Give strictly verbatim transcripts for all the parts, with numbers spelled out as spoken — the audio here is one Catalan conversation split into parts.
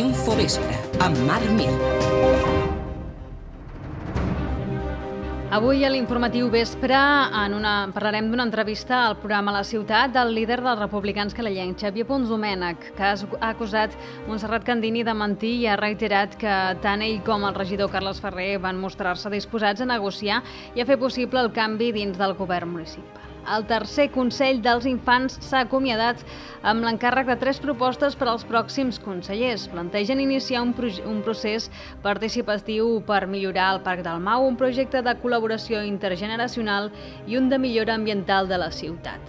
Infovespre, amb Marc Mir. Avui a l'Informatiu Vespre en una, parlarem d'una entrevista al programa La Ciutat del líder dels republicans calellencs, Xavier Pons Domènech, que ha acusat Montserrat Candini de mentir i ha reiterat que tant ell com el regidor Carles Ferrer van mostrar-se disposats a negociar i a fer possible el canvi dins del govern municipal. El tercer Consell dels Infants s'ha acomiadat amb l'encàrrec de tres propostes per als pròxims consellers. Plantegen iniciar un, un procés participatiu per millorar el Parc del Mau, un projecte de col·laboració intergeneracional i un de millora ambiental de la ciutat.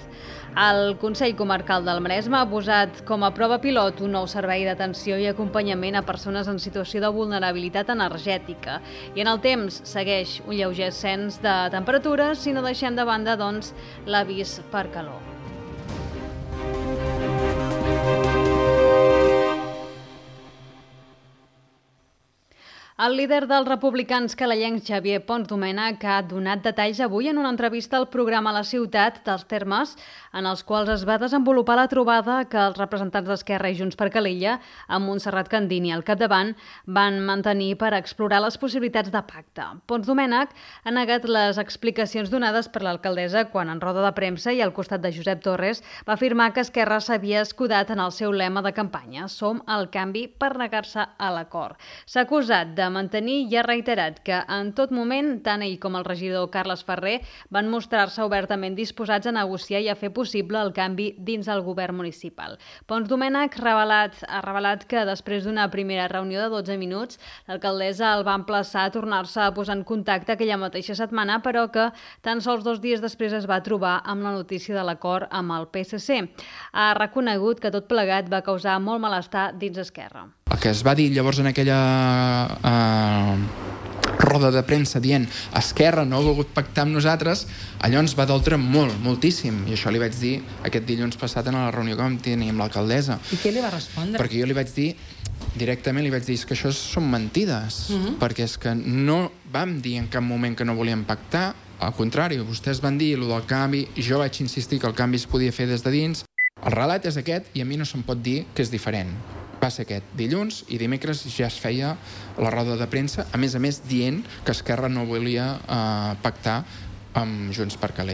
El Consell Comarcal del Maresme ha posat com a prova pilot un nou servei d'atenció i acompanyament a persones en situació de vulnerabilitat energètica. I en el temps segueix un lleuger ascens de temperatures si no deixem de banda, doncs, l'avís per calor. El líder dels republicans calellencs, Xavier Pons Domènech, ha donat detalls avui en una entrevista al programa La Ciutat dels termes en els quals es va desenvolupar la trobada que els representants d'Esquerra i Junts per Calella, amb Montserrat Candini al capdavant, van mantenir per explorar les possibilitats de pacte. Pons Domènech ha negat les explicacions donades per l'alcaldessa quan en roda de premsa i al costat de Josep Torres va afirmar que Esquerra s'havia escudat en el seu lema de campanya «Som el canvi» per negar-se a l'acord. S'ha acusat de de mantenir i ha reiterat que en tot moment tant ell com el regidor Carles Ferrer van mostrar-se obertament disposats a negociar i a fer possible el canvi dins el govern municipal. Pons Domènech revelat, ha revelat que després d'una primera reunió de dotze minuts, l'alcaldessa el va emplaçar a tornar-se a posar en contacte aquella mateixa setmana, però que tan sols dos dies després es va trobar amb la notícia de l'acord amb el P S C. Ha reconegut que tot plegat va causar molt malestar dins Esquerra. El que es va dir llavors en aquella eh, roda de premsa dient Esquerra no ha volgut pactar amb nosaltres, allò ens va doldre molt, moltíssim. I això li vaig dir aquest dilluns passat en la reunió que vam tenir amb l'alcaldessa. I què li va respondre? Perquè jo li vaig dir, directament li vaig dir que això són mentides, uh-huh. perquè és que no vam dir en cap moment que no volíem pactar, al contrari, vostès van dir allò del canvi, i jo vaig insistir que el canvi es podia fer des de dins. El relat és aquest i a mi no se'm pot dir que és diferent. Va ser aquest dilluns i dimecres ja es feia la roda de premsa, a més a més dient que Esquerra no volia eh, pactar amb Junts per Calella.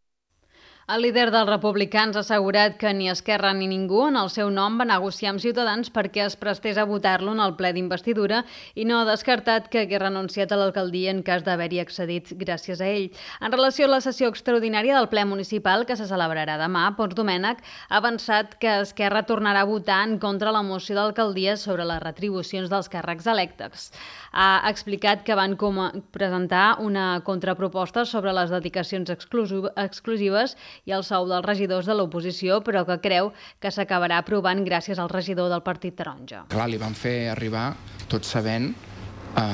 El líder dels republicans ha assegurat que ni Esquerra ni ningú en el seu nom va negociar amb Ciutadans perquè es prestés a votar-lo en el ple d'investidura i no ha descartat que hagués renunciat a l'alcaldia en cas d'haver-hi accedit gràcies a ell. En relació a la sessió extraordinària del ple municipal que se celebrarà demà, Pons Domènech ha avançat que Esquerra tornarà a votar en contra la moció d'alcaldia sobre les retribucions dels càrrecs electes. Ha explicat que van com presentar una contraproposta sobre les dedicacions exclusives i el sou dels regidors de l'oposició, però que creu que s'acabarà aprovant gràcies al regidor del Partit Taronja. Clar, li van fer arribar, tot sabent eh,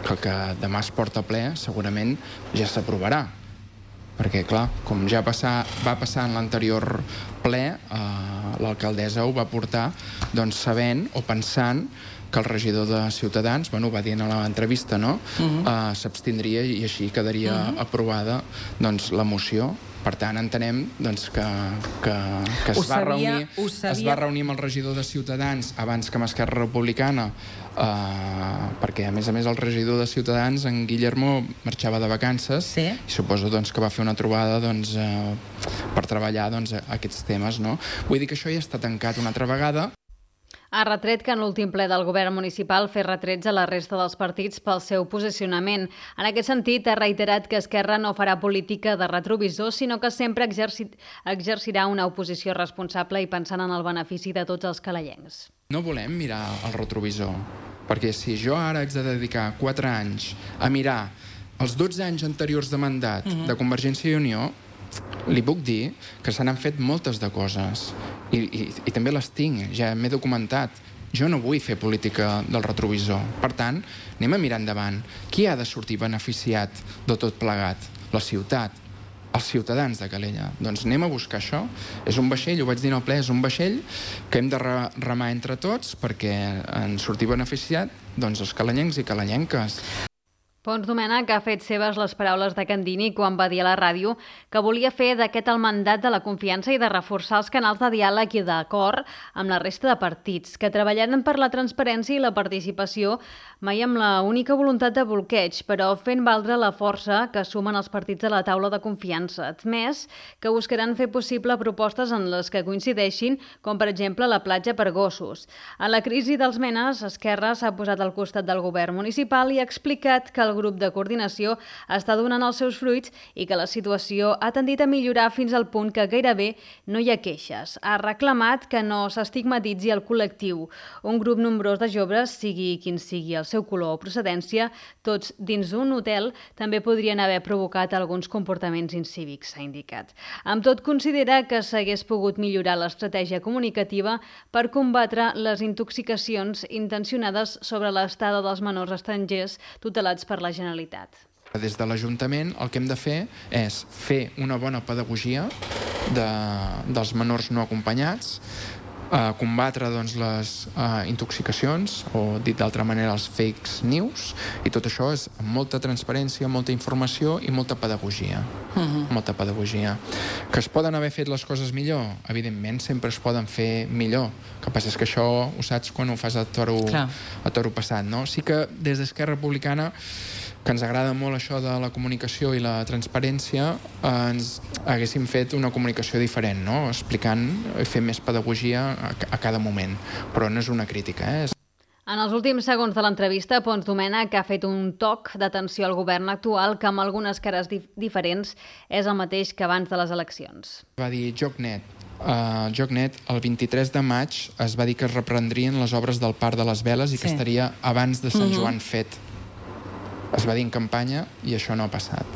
que el que demà es porta a ple segurament ja s'aprovarà. Perquè, clar, com ja passar, va passar en l'anterior ple, eh, l'alcaldessa ho va portar doncs, sabent o pensant que el regidor de Ciutadans, bueno, ho va dir en l'entrevista, no? Uh-huh. eh, s'abstindria i així quedaria uh-huh. aprovada doncs, la moció. Per tant, entenem doncs, que, que, que es, va sabia, reunir, es va reunir amb el regidor de Ciutadans abans que amb Esquerra Republicana, eh, perquè, a més a més, el regidor de Ciutadans, en Guillermo, marxava de vacances, sí. i suposo doncs, que va fer una trobada doncs, eh, per treballar doncs, aquests temes. No? Vull dir que això ja està tancat una altra vegada. Ha retret que en l'últim ple del govern municipal fer retrets a la resta dels partits pel seu posicionament. En aquest sentit, ha reiterat que Esquerra no farà política de retrovisor, sinó que sempre exerci... exercirà una oposició responsable i pensant en el benefici de tots els calellencs. No volem mirar el retrovisor, perquè si jo ara haig de dedicar quatre anys a mirar els dotze anys anteriors de mandat uh-huh. de Convergència i Unió, li puc dir que se n'han fet moltes de coses i, i, i també les tinc, ja m'he documentat. Jo no vull fer política del retrovisor. Per tant, anem a mirar endavant. Qui ha de sortir beneficiat de tot plegat? La ciutat, els ciutadans de Calella. Doncs anem a buscar això. És un vaixell, ho vaig dir en el ple, és un vaixell que hem de remar entre tots perquè en sortir beneficiat doncs, els calellencs i calellenques. Pons Domènech ha fet seves les paraules de Candini quan va dir a la ràdio que volia fer d'aquest el mandat de la confiança i de reforçar els canals de diàleg i d'acord amb la resta de partits, que treballaran per la transparència i la participació mai amb la única voluntat de bloqueig, però fent valdre la força que sumen els partits de la taula de confiança, admès que buscaran fer possible propostes en les que coincideixin, com per exemple la platja per gossos. A la crisi dels Menes, Esquerra s'ha posat al costat del govern municipal i ha explicat que el El grup de coordinació està donant els seus fruits i que la situació ha tendit a millorar fins al punt que gairebé no hi ha queixes. Ha reclamat que no s'estigmatitzi el col·lectiu. Un grup nombrós de joves, sigui quin sigui el seu color o procedència, tots dins un hotel, també podrien haver provocat alguns comportaments incívics, s'ha indicat. Amb tot, considera que s'hagués pogut millorar l'estratègia comunicativa per combatre les intoxicacions intencionades sobre l'estada dels menors estrangers tutelats per la Generalitat. Des de l'Ajuntament el que hem de fer és fer una bona pedagogia de, dels menors no acompanyats, eh, combatre doncs, les eh, intoxicacions, o dit d'altra manera els fake news, i tot això és amb molta transparència, molta informació i molta pedagogia. Uh-huh. Molta pedagogia. Que es poden haver fet les coses millor? Evidentment, sempre es poden fer millor. El que passa és que això ho saps quan ho fas a toro, a toro passat, no? Sí que des d'Esquerra Republicana, que ens agrada molt això de la comunicació i la transparència, eh, ens haguéssim fet una comunicació diferent, no? Explicant i fent més pedagogia a, a cada moment. Però no és una crítica, eh? En els últims segons de l'entrevista, Pons Domènech ha fet un toc d'atenció al govern actual que amb algunes cares dif diferents és el mateix que abans de les eleccions. Va dir JOCNet. Uh, JOCNet, el vint-i-tres de maig es va dir que es reprendrien les obres del Parc de les Veles i sí. que estaria abans de Sant uh-huh. Joan fet. Es va dir en campanya i això no ha passat.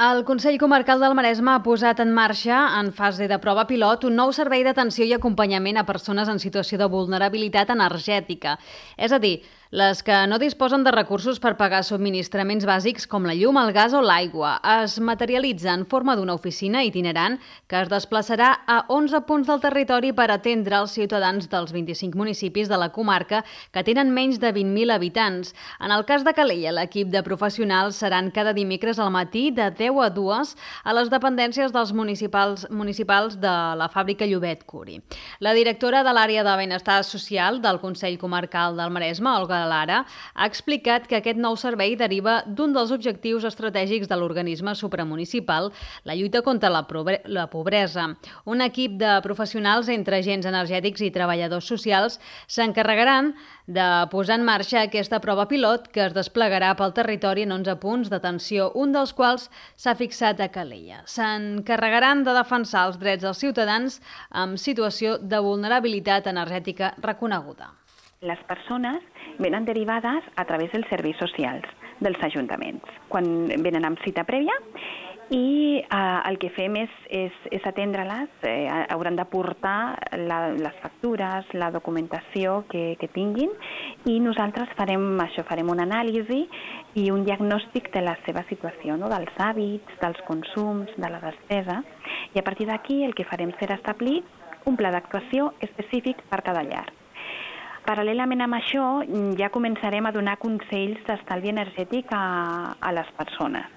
El Consell Comarcal del Maresme ha posat en marxa, en fase de prova pilot, un nou servei d'atenció i acompanyament a persones en situació de vulnerabilitat energètica. És a dir, les que no disposen de recursos per pagar subministraments bàsics com la llum, el gas o l'aigua. Es materialitza en forma d'una oficina itinerant que es desplaçarà a onze punts del territori per atendre els ciutadans dels vint-i-cinc municipis de la comarca que tenen menys de vint mil habitants. En el cas de Calella, l'equip de professionals seran cada dimecres al matí de deu a dues a les dependències dels municipals, municipals de la fàbrica Llobet Curi. La directora de l'àrea de benestar social del Consell Comarcal del Maresme, Olga Lara, ha explicat que aquest nou servei deriva d'un dels objectius estratègics de l'organisme supramunicipal, la lluita contra la, la pobresa. Un equip de professionals entre agents energètics i treballadors socials s'encarregaran de posar en marxa aquesta prova pilot que es desplegarà pel territori en onze punts d'atenció, un dels quals s'ha fixat a Calella. S'encarregaran de defensar els drets dels ciutadans en situació de vulnerabilitat energètica reconeguda. Les persones venen derivades a través dels serveis socials dels ajuntaments, quan venen amb cita prèvia, i eh, el que fem és, és, és atendre-les, eh, hauran de portar la, les factures, la documentació que, que tinguin, i nosaltres farem això, farem una anàlisi i un diagnòstic de la seva situació, no? Dels hàbits, dels consums, de la despesa, i a partir d'aquí el que farem serà establir un pla d'actuació específic per cada llar. Paral·lelament amb això, ja començarem a donar consells d'estalvi energètic a, a les persones.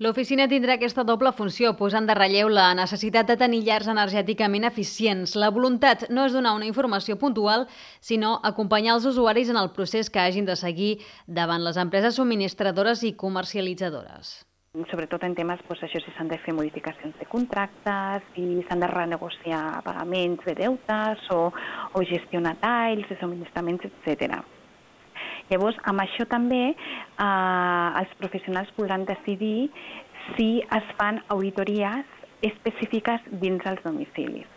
L'oficina tindrà aquesta doble funció, posant de relleu la necessitat de tenir llars energèticament eficients. La voluntat no és donar una informació puntual, sinó acompanyar els usuaris en el procés que hagin de seguir davant les empreses subministradores i comercialitzadores. Sobretot en temes, doncs, això, si s'han de fer modificacions de contractes, si s'han de renegociar pagaments de deutes o, o gestionar talls de subministraments, etcètera. Llavors, amb això també eh, els professionals podran decidir si es fan auditories específiques dins els domicilis.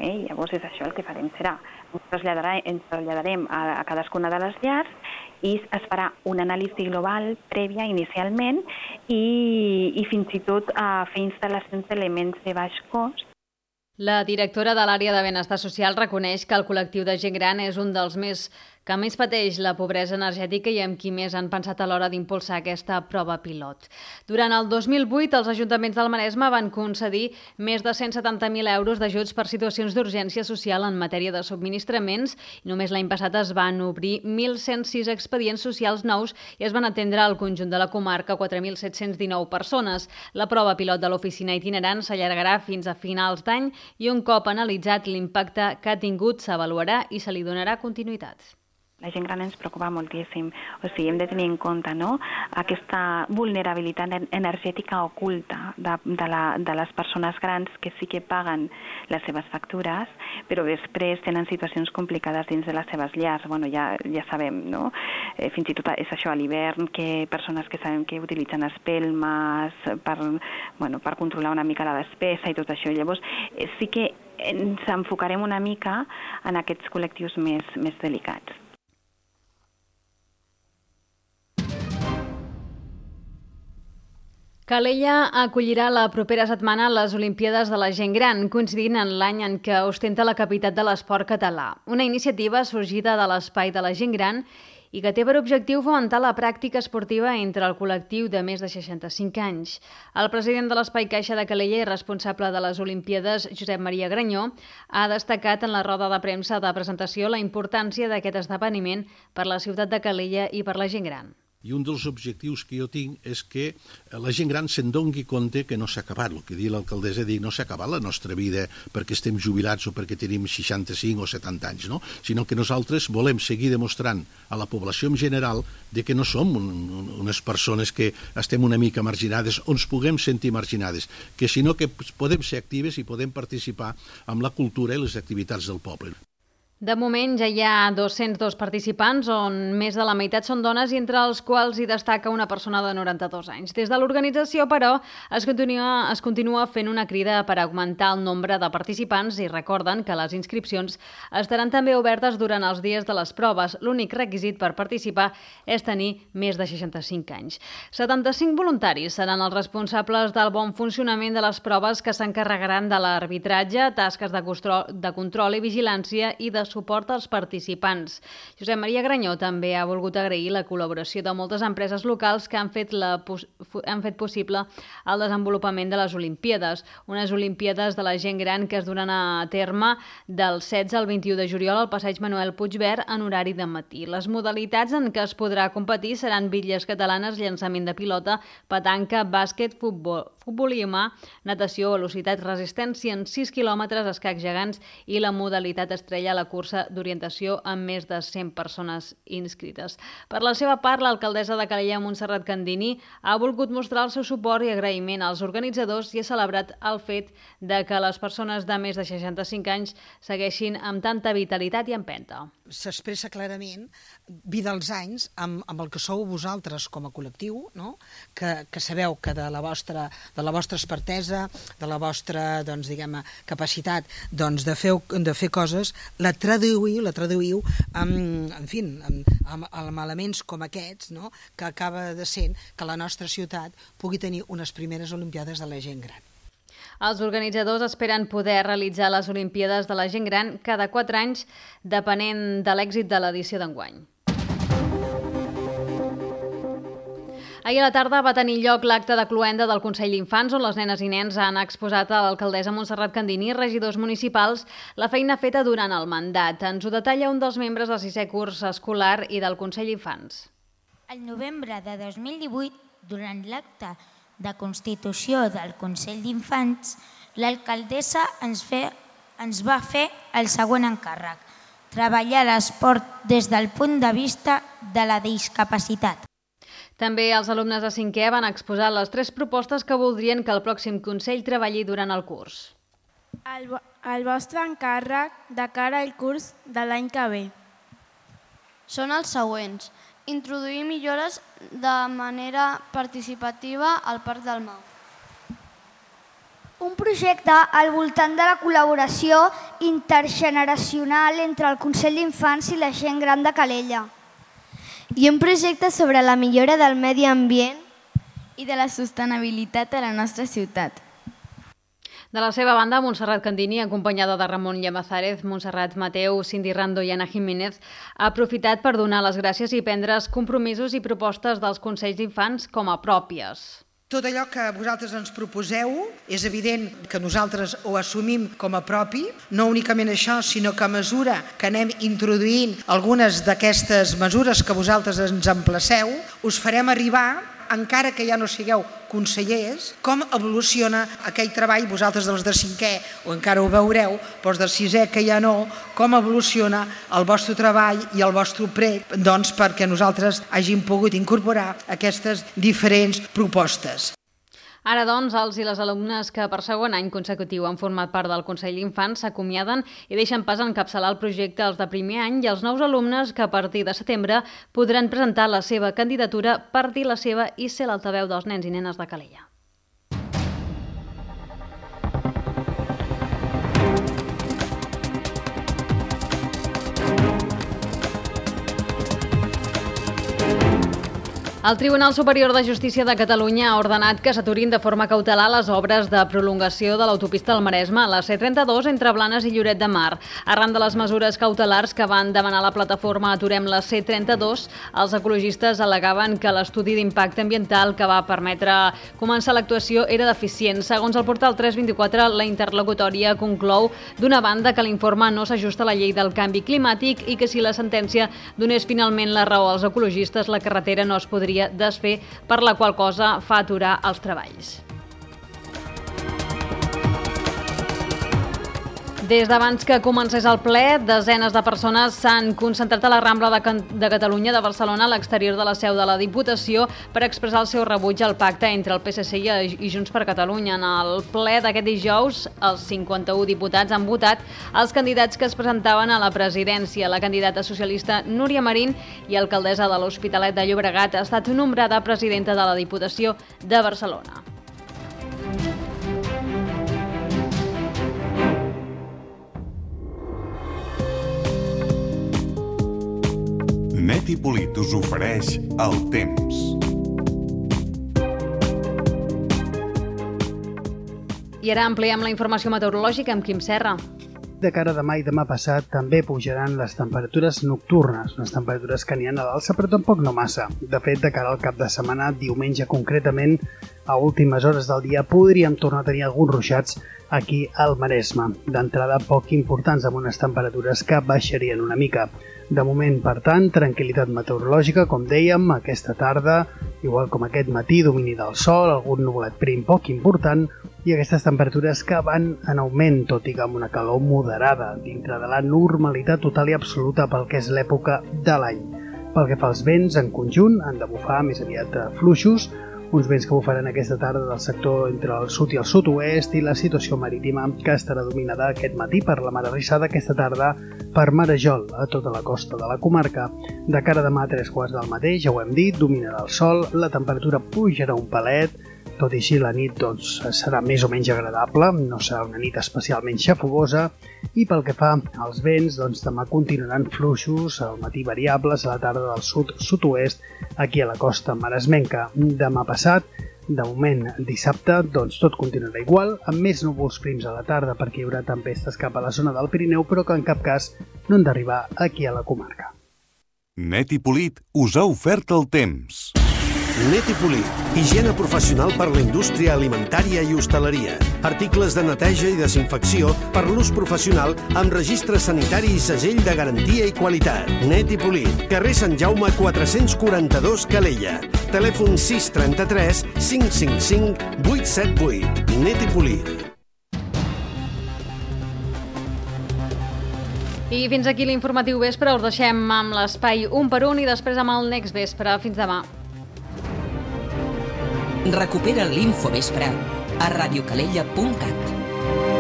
Eh? Llavors, és això el que farem serà. Ens traslladarem, ens traslladarem a, a cadascuna de les llars i es farà una anàlisi global prèvia inicialment i, i fins i tot a fer instal·lacions d'elements de baix cost. La directora de l'àrea de benestar social reconeix que el col·lectiu de gent gran és un dels més que més pateix la pobresa energètica i amb qui més han pensat a l'hora d'impulsar aquesta prova pilot. Durant el dos mil vuit, els ajuntaments del Maresme van concedir més de cent setanta mil euros d'ajuts per situacions d'urgència social en matèria de subministraments i només l'any passat es van obrir mil cent sis expedients socials nous i es van atendre al conjunt de la comarca quatre mil set-cents dinou persones. La prova pilot de l'oficina itinerant s'allargarà fins a finals d'any i un cop analitzat l'impacte que ha tingut s'avaluarà i se li donarà continuïtat. La gent gran ens preocupa moltíssim, o sigui, hem de tenir en compte, no?, aquesta vulnerabilitat energètica oculta de, de, la, de les persones grans que sí que paguen les seves factures, però després tenen situacions complicades dins de les seves llars. Bueno, ja, ja sabem, no?, eh, fins i tot és això a l'hivern, que persones que sabem que utilitzen espelmes per, bueno, per controlar una mica la despesa i tot això. Llavors, eh, sí que ens enfocarem una mica en aquests col·lectius més, més delicats. Calella acollirà la propera setmana les Olimpíades de la Gent Gran, coincidint en l'any en què ostenta la capitat de l'esport català. Una iniciativa sorgida de l'Espai de la Gent Gran i que té per objectiu fomentar la pràctica esportiva entre el col·lectiu de més de seixanta-cinc anys. El president de l'Espai Caixa de Calella i responsable de les Olimpíades, Josep Maria Granyó, ha destacat en la roda de premsa de presentació la importància d'aquest esdeveniment per la ciutat de Calella i per la gent gran. I un dels objectius que jo tinc és que la gent gran se'n doni compte que no s'ha acabat. El que diu l'alcaldessa, dic, no s'ha acabat la nostra vida perquè estem jubilats o perquè tenim seixanta-cinc o setanta anys, no? Sinó que nosaltres volem seguir demostrant a la població en general de que no som un, unes persones que estem una mica marginades o ens puguem sentir marginades, que sinó que podem ser actives i podem participar amb la cultura i les activitats del poble. De moment ja hi ha dos-cents dos participants, on més de la meitat són dones i entre els quals hi destaca una persona de noranta-dos anys. Des de l'organització, però, es continua, es continua fent una crida per augmentar el nombre de participants i recorden que les inscripcions estaran també obertes durant els dies de les proves. L'únic requisit per participar és tenir més de seixanta-cinc anys. setanta-cinc voluntaris seran els responsables del bon funcionament de les proves que s'encarregaran de l'arbitratge, tasques de control, de control i vigilància i de suport als participants. Josep Maria Granyó també ha volgut agrair la col·laboració de moltes empreses locals que han fet, la, han fet possible el desenvolupament de les Olimpíades. Unes Olimpíades de la gent gran que es duran a terme del setze al vint-i-u de juliol al passeig Manuel Puigvert en horari de matí. Les modalitats en què es podrà competir seran bitlles catalanes, llançament de pilota, petanca, bàsquet, futbol, futbol i humà, natació, velocitat, resistència en sis quilòmetres, escacs gegants i la modalitat estrella a la cursa d'orientació amb més de cent persones inscrites. Per la seva part, l'alcaldessa de Calella, Montserrat Candini, ha volgut mostrar el seu suport i agraïment als organitzadors i ha celebrat el fet de que les persones de més de seixanta-cinc anys segueixin amb tanta vitalitat i empenta. S'expressa clarament, vida als anys, amb, amb el que sou vosaltres com a col·lectiu, no? que, que sabeu que de la vostra, de la vostra expertesa, de la vostra doncs, diguem, capacitat doncs, de, fer, de fer coses, la traduïu, la traduïu amb, en fi, amb, amb, amb elements com aquests, no? que acaba de ser que la nostra ciutat pugui tenir unes primeres Olimpiades de la gent gran. Els organitzadors esperen poder realitzar les Olimpíades de la gent gran cada quatre anys, depenent de l'èxit de l'edició d'enguany. Ahir a la tarda va tenir lloc l'acte de cloenda del Consell d'Infants, on les nenes i nens han exposat a l'alcaldessa Montserrat Candini i regidors municipals la feina feta durant el mandat. Ens ho detalla un dels membres del sisè curs escolar i del Consell d'Infants. El novembre de dos mil divuit, durant l'acte de constitució del Consell d'Infants, l'alcaldessa ens, fe, ens va fer el següent encàrrec: treballar l'esport des del punt de vista de la discapacitat. També els alumnes de cinquè van exposar les tres propostes que voldrien que el pròxim Consell treballi durant el curs. El, el vostre encàrrec de cara al curs de l'any que ve són els següents. Introduir millores de manera participativa al Parc del Mau. Un projecte al voltant de la col·laboració intergeneracional entre el Consell d'Infants i la gent gran de Calella. I un projecte sobre la millora del medi ambient i de la sostenibilitat a la nostra ciutat. De la seva banda, Montserrat Candini, acompanyada de Ramon Llamazares, Montserrat Mateu, Cindy Rando i Ana Jiménez, ha aprofitat per donar les gràcies i prendre compromisos i propostes dels Consells d'Infants com a pròpies. Tot allò que vosaltres ens proposeu, és evident que nosaltres ho assumim com a propi, no únicament això, sinó que a mesura que anem introduint algunes d'aquestes mesures que vosaltres ens emplaceu, us farem arribar, encara que ja no sigueu consellers, com evoluciona aquell treball, vosaltres dels de cinquè o encara ho veureu, però els de sisè que ja no, com evoluciona el vostre treball i el vostre prec, doncs perquè nosaltres hàgim pogut incorporar aquestes diferents propostes. Ara, doncs, els i les alumnes que per segon any consecutiu han format part del Consell d'Infants s'acomiaden i deixen pas a encapçalar el projecte els de primer any i els nous alumnes que a partir de setembre podran presentar la seva candidatura per dir la seva i ser l'altaveu dels nens i nenes de Calella. El Tribunal Superior de Justícia de Catalunya ha ordenat que s'aturin de forma cautelar les obres de prolongació de l'autopista del Maresme, la C trenta-dos, entre Blanes i Lloret de Mar. Arran de les mesures cautelars que van demanar la plataforma Aturem la C trenta-dos, els ecologistes al·legaven que l'estudi d'impacte ambiental que va permetre començar l'actuació era deficient. Segons el portal tres vint-i-quatre, la interlocutòria conclou, d'una banda, que l'informe no s'ajusta a la llei del canvi climàtic i que si la sentència donés finalment la raó als ecologistes, la carretera no es podria desfer, per la qual cosa fa aturar els treballs. Des d'abans que comencés el ple, desenes de persones s'han concentrat a la Rambla de, Can de Catalunya de Barcelona, a l'exterior de la seu de la Diputació, per expressar el seu rebuig al pacte entre el P S C i Junts per Catalunya. En el ple d'aquest dijous, els cinquanta-u diputats han votat els candidats que es presentaven a la presidència. La candidata socialista Núria Marín i alcaldessa de l'Hospitalet de Llobregat ha estat nombrada presidenta de la Diputació de Barcelona. Net i Polit us ofereix el temps. I ara ampliem la informació meteorològica amb Quim Serra. De cara a demà i demà passat també pujaran les temperatures nocturnes, unes temperatures que n'hi ha a l'alça, però tampoc no massa. De fet, de cara al cap de setmana, diumenge concretament, a últimes hores del dia, podríem tornar a tenir alguns ruixats aquí al Maresme. D'entrada, poc importants, amb unes temperatures que baixarien una mica. De moment, per tant, tranquil·litat meteorològica, com dèiem, aquesta tarda, igual com aquest matí, domini del sol, algun nuvolet prim poc important, i aquestes temperatures que van en augment, tot i que amb una calor moderada, dintre de la normalitat total i absoluta pel que és l'època de l'any. Pel que fa als vents, en conjunt, han de bufar més aviat fluixos, uns vents que bufaran aquesta tarda del sector entre el sud i el sud-oest, i la situació marítima que estarà dominada aquest matí per la mar arrissada, aquesta tarda per marejol a tota la costa de la comarca. De cara a demà a tres quarts del mateix, ja ho hem dit, dominarà el sol, la temperatura pujarà un palet, tot i així la nit doncs, serà més o menys agradable, no serà una nit especialment xafogosa, i pel que fa als vents, doncs, demà continuaran fluixos, al matí variables, a la tarda del sud-sud-oest, aquí a la costa maresmenca. Demà passat, de moment dissabte, doncs tot continuarà igual, amb més núvols prims a la tarda perquè hi haurà tempestes cap a la zona del Pirineu, però que en cap cas no han d'arribar aquí a la comarca. Net i Polit us ha ofert el temps. Net i Polit, higiene professional per la indústria alimentària i hostaleria. Articles de neteja i desinfecció per l'ús professional amb registre sanitari i segell de garantia i qualitat. Net i Polit, carrer Sant Jaume quatre-cents quaranta-dos, Calella. Telèfon sis trenta-tres cinc cinc cinc vuit set vuit. Net i Polit. I fins aquí l'informatiu vespre. Us deixem amb l'espai un per un i després amb el Next Vespre. Fins demà. Recupera l'Infovespre a radiocalella punt cat.